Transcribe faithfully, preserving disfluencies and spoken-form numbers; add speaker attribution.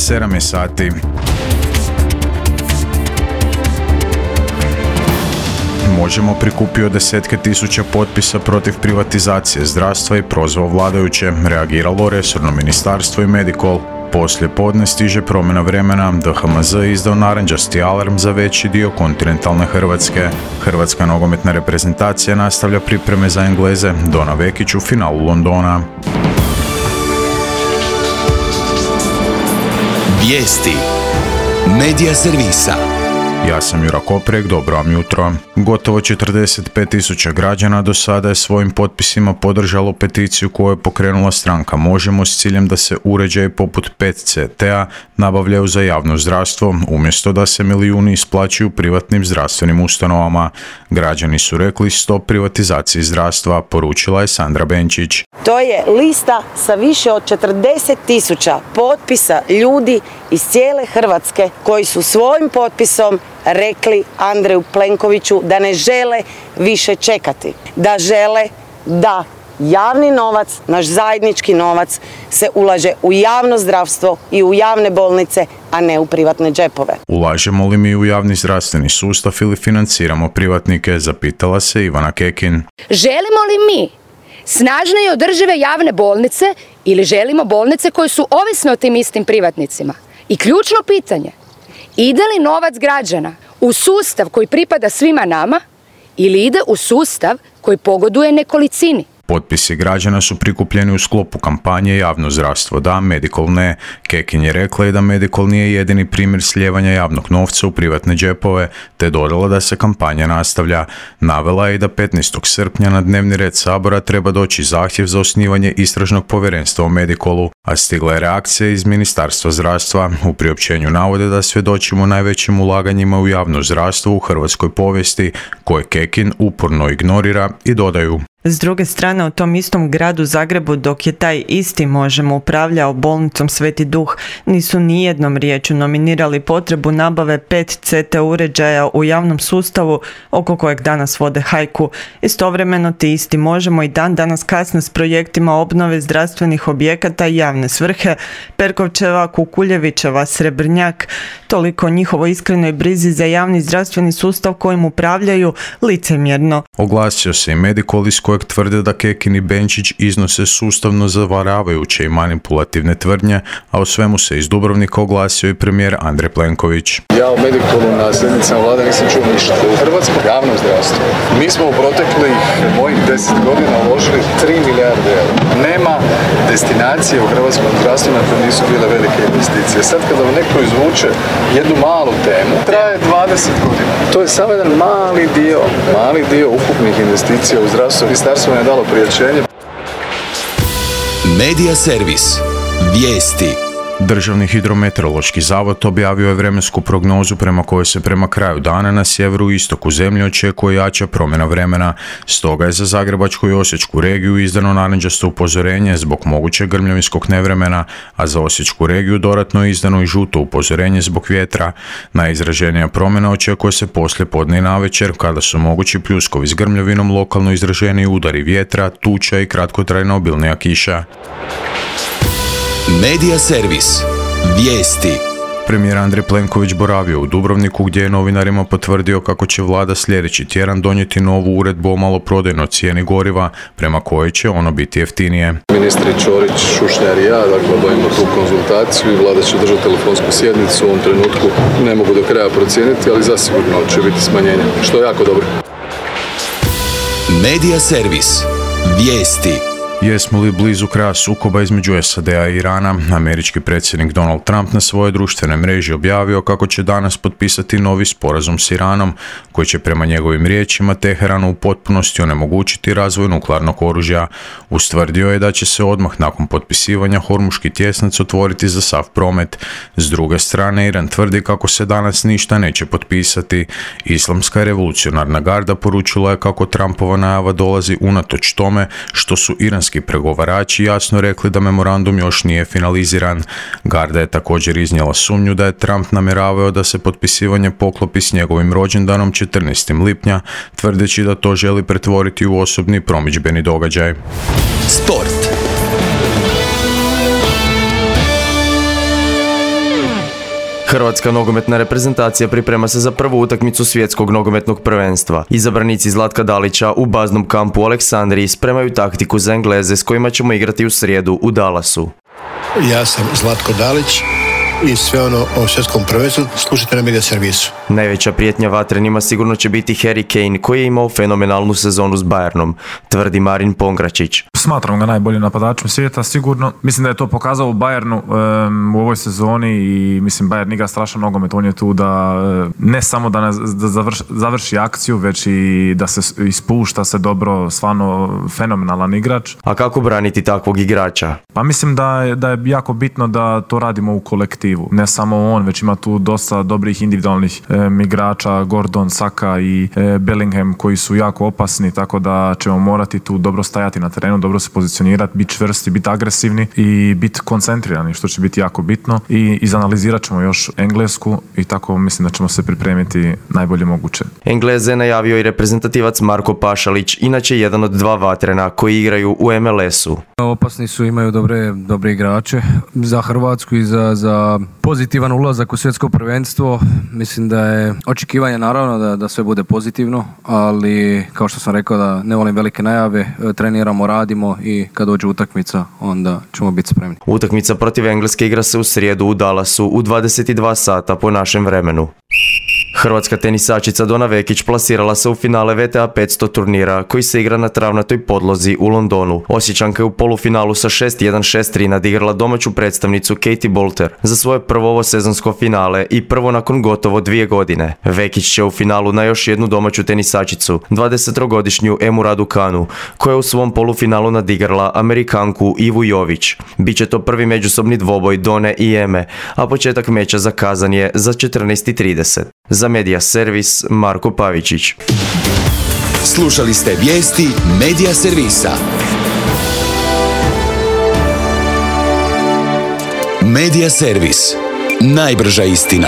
Speaker 1: sedam je sati. Možemo prikupio desetke tisuća potpisa protiv privatizacije zdravstva i prozvao vladajuće, reagiralo resorno ministarstvo i Medikol. Poslije podne stiže promjena vremena, D H M Z izdao narančasti alarm za veći dio kontinentalne Hrvatske. Hrvatska nogometna reprezentacija nastavlja pripreme za Engleze, Dona Vekić u finalu Londona.
Speaker 2: Vijesti Medija servisa.
Speaker 1: Ja sam Jura Koprek, dobro vam jutro. Gotovo četrdeset pet tisuća građana do sada je svojim potpisima podržalo peticiju koju je pokrenula stranka Možemo s ciljem da se uređaji poput pet C T-a nabavljaju za javno zdravstvo, umjesto da se milijuni isplaćuju privatnim zdravstvenim ustanovama. Građani su rekli stop privatizaciji zdravstva, poručila je Sandra Benčić.
Speaker 3: To je lista sa više od četrdeset tisuća potpisa ljudi iz cijele Hrvatske koji su svojim potpisom rekli Andreju Plenkoviću da ne žele više čekati, da žele da javni novac, naš zajednički novac, se ulaže u javno zdravstvo i u javne bolnice, a ne u privatne džepove.
Speaker 1: Ulažemo li mi u javni zdravstveni sustav ili financiramo privatnike, zapitala se Ivana Kekin.
Speaker 4: Želimo li mi snažne i održive javne bolnice ili želimo bolnice koje su ovisne o tim istim privatnicima? I ključno pitanje, ide li novac građana u sustav koji pripada svima nama ili ide u sustav koji pogoduje nekolicini?
Speaker 1: Potpisi građana su prikupljeni u sklopu kampanje Javno zdravstvo da, Medikol ne. Kekin je rekla i da Medikol nije jedini primjer slijevanja javnog novca u privatne džepove, te dodala da se kampanja nastavlja. Navela je i da petnaestog srpnja na dnevni red Sabora treba doći zahtjev za osnivanje istražnog povjerenstva o Medikolu, a stigla je reakcija iz Ministarstva zdravstva. U priopćenju navode da svjedočimo najvećim ulaganjima u javno zdravstvo u hrvatskoj povijesti, koje Kekin uporno ignorira, i dodaju:
Speaker 5: S druge strane, u tom istom gradu Zagrebu, dok je taj isti Možemo upravljao bolnicom Sveti Duh, nisu nijednom riječju nominirali potrebu nabave pet C T uređaja u javnom sustavu oko kojeg danas vode hajku. Istovremeno ti isti Možemo i dan danas kasne s projektima obnove zdravstvenih objekata i javne svrhe. Perkovčeva, Kukuljevićeva, Srebrnjak, toliko o njihovoj iskrenoj brizi za javni zdravstveni sustav kojim upravljaju licemjerno.
Speaker 1: Oglasio se i Medikol iz kojeg tvrde da Kekin i Benčić iznose sustavno zavaravajuće i manipulativne tvrdnje, a o svemu se iz Dubrovnika oglasio i premijer Andrej Plenković.
Speaker 6: Ja u Medikolu na sjednicama vlade nisam čuo ništa. U hrvatskom javnom zdravstvu mi smo u proteklih mojih deset godina uložili tri milijarde eura. Nema destinacije u hrvatskom zdravstvu na koje nisu bile velike investicije. Sad kada vam neko izvuče jednu malu temu, traje dvadeset godina. To je samo jedan mali dio, mali dio ukupnih investicija u zdravstvu. Ministarstvo je dalo priopćenje.
Speaker 2: Medija servis. Vijesti.
Speaker 1: Državni hidrometeorološki zavod objavio je vremensku prognozu prema kojoj se prema kraju dana na sjeveru i istoku zemlje očekuje jača promjena vremena. Stoga je za Zagrebačku i Osječku regiju izdano narančasto upozorenje zbog mogućeg grmljavinskog nevremena, a za Osječku regiju dodatno je izdano i žuto upozorenje zbog vjetra. Najizraženija promjena očekuje se poslije podne i navečer, kada su mogući pljuskovi s grmljavinom, lokalno izraženiji udari vjetra, tuča i kratkotrajna obilnija kiša.
Speaker 2: Medija servis. Vijesti.
Speaker 1: Premijer Andrej Plenković boravio u Dubrovniku gdje je novinarima potvrdio kako će vlada sljedeći tjedan donijeti novu uredbu o maloprodajnoj cijeni goriva prema kojoj će ono biti jeftinije.
Speaker 6: Ministri Ćorić, Šušnjar i ja, dakle, obavimo tu konzultaciju i vlada će držati telefonsku sjednicu. U ovom trenutku ne mogu do kraja procijeniti, ali zasigurno će biti smanjenje, što je jako dobro.
Speaker 2: Medija servis. Vijesti.
Speaker 1: Jesmo li blizu kraja sukoba između S A D-a i Irana? Američki predsjednik Donald Trump na svojoj društvenoj mreži objavio kako će danas potpisati novi sporazum s Iranom, koji će prema njegovim riječima Teheranu u potpunosti onemogućiti razvoj nuklearnog oružja. Ustvrdio je da će se odmah nakon potpisivanja Hormuški tjesnac otvoriti za sav promet. S druge strane, Iran tvrdi kako se danas ništa neće potpisati. Islamska revolucionarna garda poručila je kako Trumpova najava dolazi unatoč tome što su iranski pregovarači jasno rekli da memorandum još nije finaliziran. Garda je također iznijela sumnju da je Trump namjeravao da se potpisivanje poklopi s njegovim rođendanom četrnaestog lipnja, tvrdeći da to želi pretvoriti u osobni promidžbeni događaj.
Speaker 2: Sport.
Speaker 7: Hrvatska nogometna reprezentacija priprema se za prvu utakmicu svjetskog nogometnog prvenstva. Izabranici Zlatka Dalića u baznom kampu u Aleksandriji spremaju taktiku za Engleze s kojima ćemo igrati u srijedu u Dallasu.
Speaker 8: Ja sam Zlatko Dalić i sve ono o svjetskom prvenstvu slušajte na Media Servisu.
Speaker 7: Najveća prijetnja vatrenima sigurno će biti Harry Kane koji je imao fenomenalnu sezonu s Bayernom, tvrdi Marin Pongračić.
Speaker 9: Smatram ga najboljim napadačem svijeta, sigurno. Mislim da je to pokazao u Bayernu um, u ovoj sezoni i mislim Bayern igra strašan nogomet. On je tu da ne samo da, ne, da završi, završi akciju, već i da se ispušta se dobro, stvarno fenomenalan igrač.
Speaker 7: A kako braniti takvog igrača?
Speaker 9: Pa mislim da je, da je jako bitno da to radimo u kolektivu. Ne samo on, već ima tu dosta dobrih individualnih e, igrača, Gordon, Saka i e, Bellingham koji su jako opasni, tako da ćemo morati tu dobro stajati na terenu, dobro se pozicionirati, biti čvrsti, biti agresivni i biti koncentrirani, što će biti jako bitno. I izanalizirat ćemo još Englesku i tako mislim da ćemo se pripremiti najbolje moguće.
Speaker 7: Engleze najavio i reprezentativac Marko Pašalić, inače jedan od dva vatrena koji igraju u M L S-u.
Speaker 10: Opasni su, imaju dobre, dobre igrače za Hrvatsku i za, za pozitivan ulazak u svjetsko prvenstvo. Mislim da je očekivanje naravno da, da sve bude pozitivno, ali kao što sam rekao da ne volim velike najave, treniramo, radimo i kad dođe utakmica onda ćemo biti spremni.
Speaker 7: Utakmica protiv Engleske igra se u srijedu u Dallasu u dvadeset dva sata po našem vremenu. Hrvatska tenisačica Dona Vekić plasirala se u finale V T A petsto turnira koji se igra na travnatoj podlozi u Londonu. Osječanka je u polufinalu sa šest jedan šest tri nadigrala domaću predstavnicu Katie Boulter za svoje prvo ovo sezonsko finale i prvo nakon gotovo dvije godine. Vekić će u finalu na još jednu domaću tenisačicu, dvadesettrogodišnju Emu Raducanu, koja je u svom polufinalu nadigrala Amerikanku Ivu Jović. Biće to prvi međusobni dvoboj Done i Eme, a početak meča zakazan je za četrnaest i trideset. Za Media Servis, Marko Pavičić.
Speaker 2: Slušali ste vijesti Media Servisa. Media Servis. Najbrža istina.